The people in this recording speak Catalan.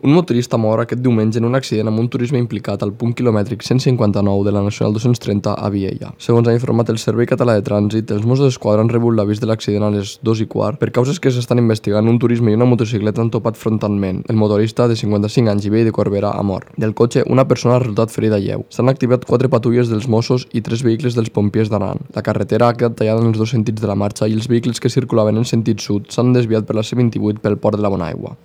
Un motorista mor aquest diumenge en un accident amb un turisme implicat al punt quilomètric 159 de la Nacional 230 a Viella. Segons ha informat el Servei Català de Trànsit, els Mossos d'Esquadra han rebut l'avís de l'accident a les 2:15 per causes que s'estan investigant. Un turisme i una motocicleta han topat frontalment. El motorista, de 55 anys i vell de Corbera, ha mort. Del cotxe, una persona ha resultat ferida lleu. S'han activat 4 patrulles dels Mossos i 3 vehicles dels pompiers d'Aran. La carretera ha quedat tallada en els 2 sentits de la marxa i els vehicles que circulaven en sentit sud s'han desviat per la C28 pel port de la Bonaigua.